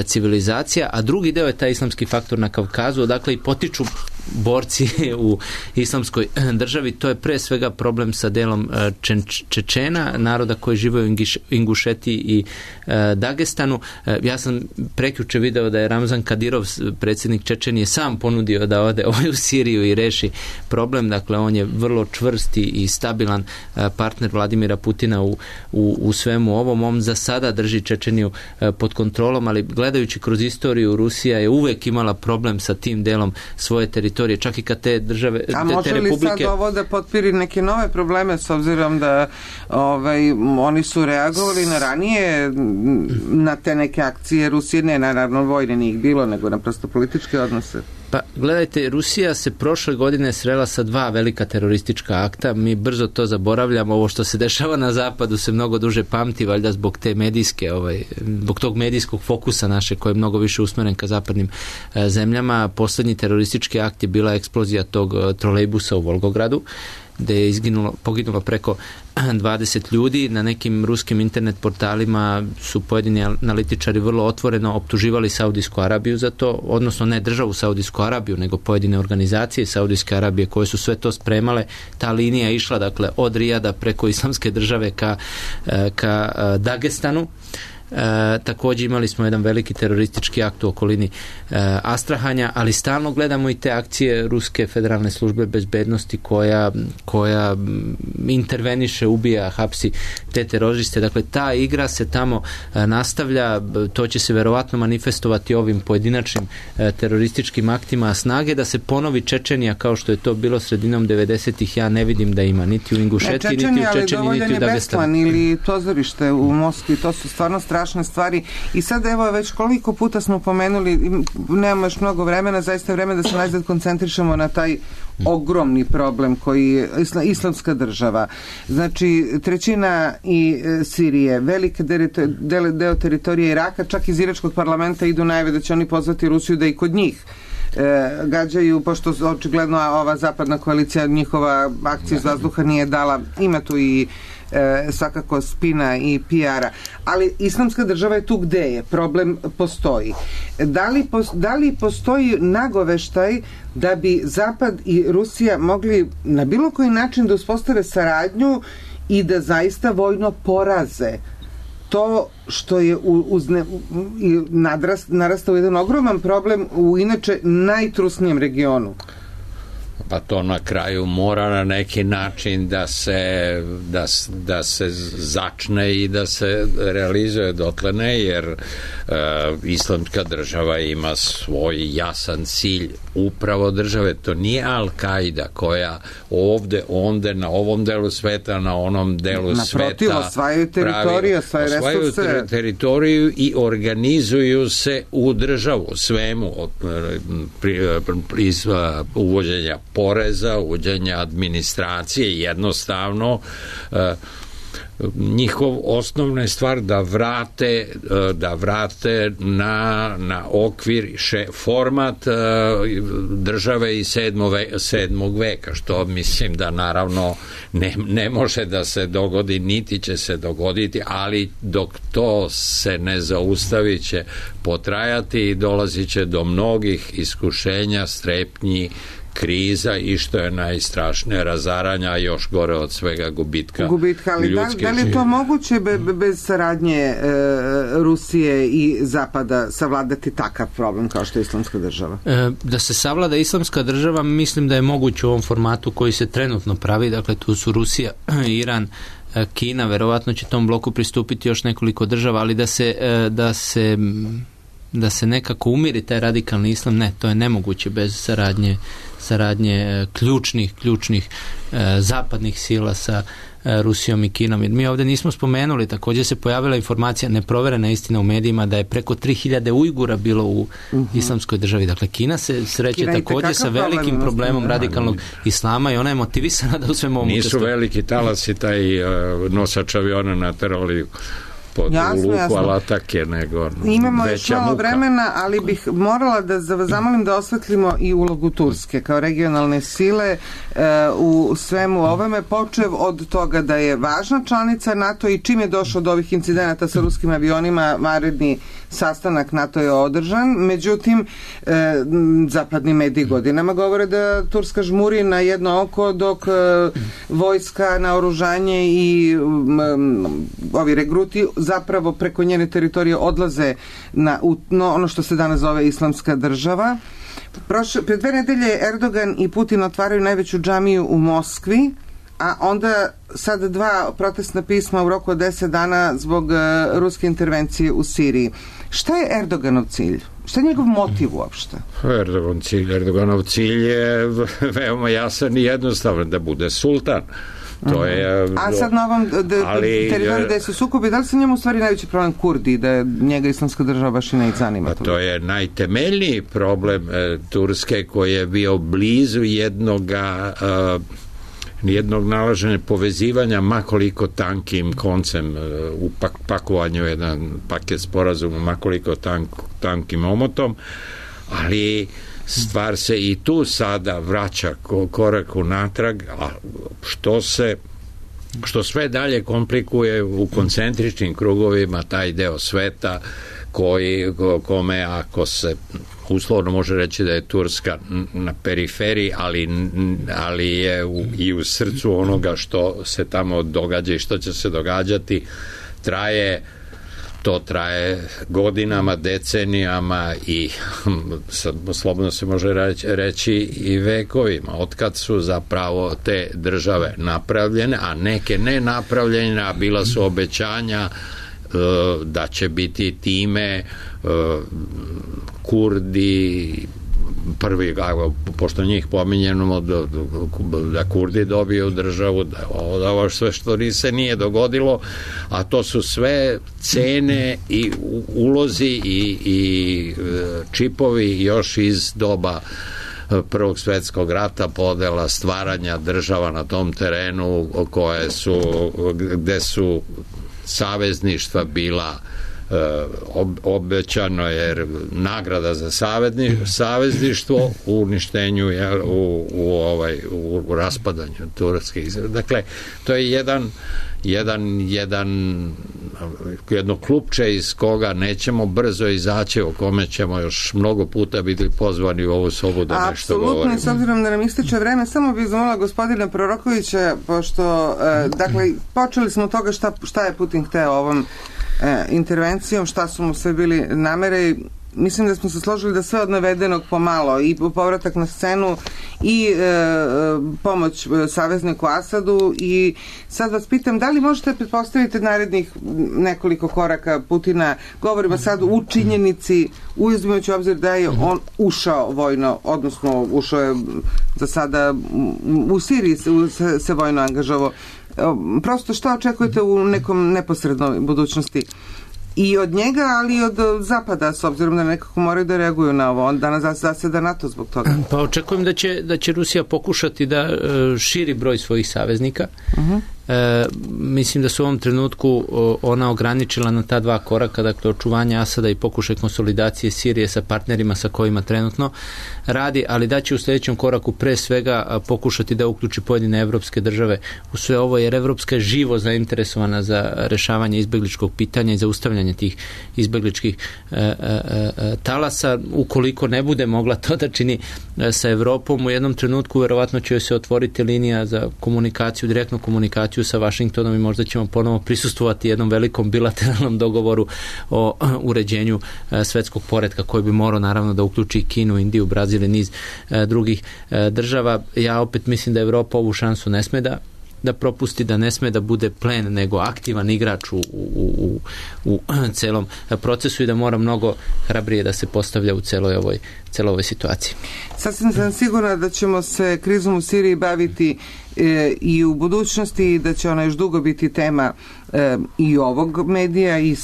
civilizacija, a drugi deo je taj islamski faktor na Kavkazu, odakle i potiču borci u islamskoj državi. To je pre svega problem sa delom Čečena, naroda koji žive u Ingušetiji i Dagestanu. Ja sam prekjuče video da je Ramzan Kadirov, predsjednik Čečenije, sam ponudio da ode u Siriju i reši problem. Dakle, on je vrlo čvrsti i stabilan partner Vladimira Putina u svemu ovom. On za sada drži Čečeniju pod kontrolom, ali gledajući kroz istoriju, Rusija je uvek imala problem sa tim delom svoje teritorije, čak i kad te države, te republike... A može li sad ovo da potpiri neke nove probleme, s obzirom da oni su reagovali na ranije na te neke akcije Rusije, ne naravno vojne nije bilo, nego naprosto političke odnose? Pa gledajte, Rusija se prošle godine srela sa 2 velika teroristička akta. Mi brzo to zaboravljamo. Ovo što se dešava na zapadu se mnogo duže pamti, valjda zbog te medijske, zbog tog medijskog fokusa naše koji je mnogo više usmeren ka zapadnim zemljama. Poslednji teroristički akt je bila eksplozija tog trolejbusa u Volgogradu, gde je poginulo preko 20 ljudi. Na nekim ruskim internet portalima su pojedini analitičari vrlo otvoreno optuživali Saudijsku Arabiju za to, odnosno ne državu Saudijsku Arabiju, nego pojedine organizacije Saudijske Arabije koje su sve to spremale. Ta linija je išla, dakle, od Rijada preko Islamske države ka Dagestanu. Također imali smo jedan veliki teroristički akt u okolini Astrahanja, ali stalno gledamo i te akcije Ruske federalne službe bezbednosti koja interveniše, ubija, hapsi te teroriste. Dakle, ta igra se tamo nastavlja, to će se verovatno manifestovati ovim pojedinačnim terorističkim aktima. Snage da se ponovi Čečenija kao što je to bilo sredinom 90-ih, ja ne vidim da ima niti u Ingušetiji, niti u Čečeniji, niti u Dagestanu. Ili pozorište u Moskvi, to su stvarno strašne stvari. I sad evo već koliko puta smo pomenuli, nemamo još mnogo vremena, zaista je vreme da se najzad koncentrišemo na taj ogromni problem koji je islamska država. Znači, trećina i Sirije, velike deo teritorije Iraka, čak iz iračkog parlamenta idu najave da će oni pozvati Rusiju da i kod njih gađaju, pošto očigledno ova zapadna koalicija njihova akcija iz vazduha nije dala, ima tu i svakako spina i PR-a, ali islamska država je tu gde je, problem postoji. Da li postoji nagoveštaj da bi Zapad i Rusija mogli na bilo koji način da uspostave saradnju i da zaista vojno poraze to što je narastao jedan ogroman problem u inače najtrusnijem regionu? Pa to na kraju mora na neki način da se začne i da se realizuje, dotle ne, jer islamska država ima svoj jasan cilj upravo države. To nije Al-Kaida koja ovde, onde, na ovom delu sveta, na onom delu sveta naprotiv, osvajaju teritoriju, osvajaju teritoriju i organizuju se u državu svemu, iz uvođenja poreza, uvođenja administracije, jednostavno njihov osnovna je stvar da vrate na okvir format države iz 7. veka, što mislim da naravno ne može da se dogodi, niti će se dogoditi, ali dok to se ne zaustavi će potrajati i dolazit će do mnogih iskušenja, strepnji, kriza i što je najstrašnije, razaranja, još gore od svega gubitka ali ljudske da li je to moguće bez saradnje Rusije i Zapada savladati takav problem kao što je islamska država? Da se savlada islamska država, mislim da je moguće u ovom formatu koji se trenutno pravi, dakle tu su Rusija, Iran, Kina, verovatno će tom bloku pristupiti još nekoliko država, ali da se nekako umiri taj radikalni islam, ne, to je nemoguće bez saradnje ključnih zapadnih sila sa Rusijom i Kinom. Jer mi ovdje nismo spomenuli, također se pojavila informacija, neproverena istina u medijima, da je preko 3000 Ujgura bilo u islamskoj državi. Dakle, Kina se sreće također sa velikim problemom radikalnog islama i ona je motivisana da u svemu ovom nisu veliki talasi taj nosač aviona naterali pod Jasno, luku jasno. alatake, nego Imamo još veća malo muka. vremena, ali bih morala da zamolim da osvetlimo i ulogu Turske kao regionalne sile u svemu ovome, počev od toga da je važna članica NATO i čim je došlo do ovih incidenata sa ruskim avionima, vanredni sastanak NATO je održan, međutim zapadni mediji godinama govore da Turska žmuri na jedno oko dok vojska, naoružanje i ovi regruti zapravo preko njene teritorije odlaze na ono što se danas zove Islamska država. Pre 2 nedelje Erdogan i Putin otvaraju najveću džamiju u Moskvi, a onda sad 2 protestna pisma u roku od 10 dana zbog ruske intervencije u Siriji. Šta je Erdoganov cilj? Šta je njegov motiv uopšte? Erdoganov cilj je veoma jasan i jednostavan, da bude sultan. To je, a sad na ovom teritoriju gde se sukobi, da li se njemu u stvari najveći problem Kurdi, da njega Islamska država baš i ne zanima? To je najtemeljniji problem Turske, koji je bio blizu jednog nalaženja povezivanja makoliko tankim koncem u pakovanju jedan paket sporazuma makoliko tankim omotom, ali stvar se i tu sada vraća korak unatrag, a što sve dalje komplikuje u koncentričnim krugovima taj deo sveta kome, ako se uslovno može reći da je Turska na periferiji, ali je i u srcu onoga što se tamo događa i što će se događati, to traje godinama, decenijama i slobodno se može reći i vekovima, otkad su zapravo te države napravljene, a neke ne napravljene, a bila su obećanja da će biti time Kurdi prvi, pošto njih pominjeno da Kurdi dobiju državu, da ovo sve što se nije dogodilo, a to su sve cene i ulozi i čipovi još iz doba Prvog svjetskog rata, podela stvaranja država na tom terenu gde su savezništva bila obećano, jer nagrada za savezništvo u uništenju, u raspadanju Turske. Dakle, to je jedno klupče iz koga nećemo brzo izaći, o kome ćemo još mnogo puta biti pozvani u ovu sobu da nešto govorimo. Apsolutno, s obzirom da nam ističe vreme, samo bih zamolila gospodina Prorokovića, pošto dakle, počeli smo od toga šta je Putin hteo ovom intervencijom, šta su mu sve bili namere. Mislim da smo se složili da sve od navedenog pomalo, i povratak na scenu i pomoć savezniku Asadu, i sad vas pitam, da li možete pretpostaviti narednih nekoliko koraka Putina? Govorimo sad u činjenici, uzimajući obzir da je on ušao vojno, odnosno ušao je za sada u Siriji se vojno angažovao. Prosto šta očekujete u nekom neposrednoj budućnosti i od njega, ali i od Zapada, s obzirom da nekako moraju da reaguju na ovo? On danas zaseda NATO zbog toga. Pa očekujem da će Rusija pokušati da širi broj svojih saveznika. Mislim da su u ovom trenutku ona ograničila na ta 2 koraka, dakle očuvanje Asada i pokušaj konsolidacije Sirije sa partnerima sa kojima trenutno radi, ali da će u sljedećem koraku pre svega pokušati da uključi pojedine evropske države u sve ovo, jer Evropska je živo zainteresovana za rešavanje izbegličkog pitanja i zaustavljanje tih izbegličkih talasa. Ukoliko ne bude mogla to da čini sa Evropom, u jednom trenutku verovatno će se otvoriti linija za komunikaciju, direktnu komunikaciju sa Vašingtonom, i možda ćemo ponovo prisustvovati jednom velikom bilateralnom dogovoru o uređenju svetskog poretka, koji bi morao naravno da uključi Kinu, Indiju, Brazil i niz drugih država. Ja opet mislim da Evropa ovu šansu ne sme da propusti, da ne sme da bude plen, nego aktivan igrač u celom procesu, i da mora mnogo hrabrije da se postavlja u celoj ovoj celoj ovoj situaciji. Sasvim sam sigurna da ćemo se krizom u Siriji baviti i u budućnosti i da će ona još dugo biti tema i ovog medija i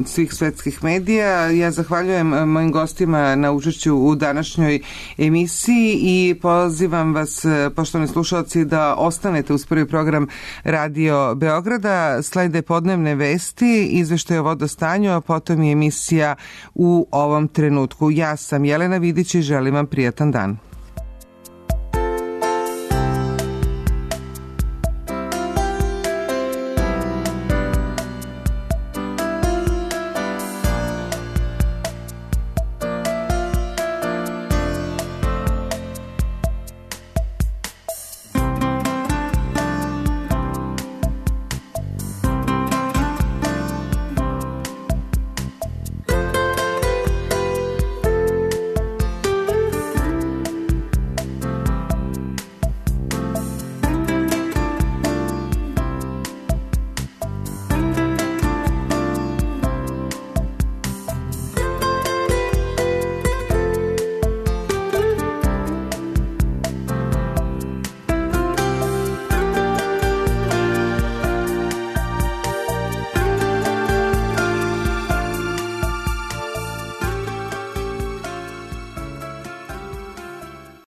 svih svetskih medija. Ja zahvaljujem mojim gostima na učešću u današnjoj emisiji i pozivam vas, poštovani slušalci, da ostanete uz prvi program Radio Beograda. Slede podnevne vesti, izveštaj o vodostanju, a potom i emisija U ovom trenutku. Ja sam Jelena Vidić i želim vam prijatan dan.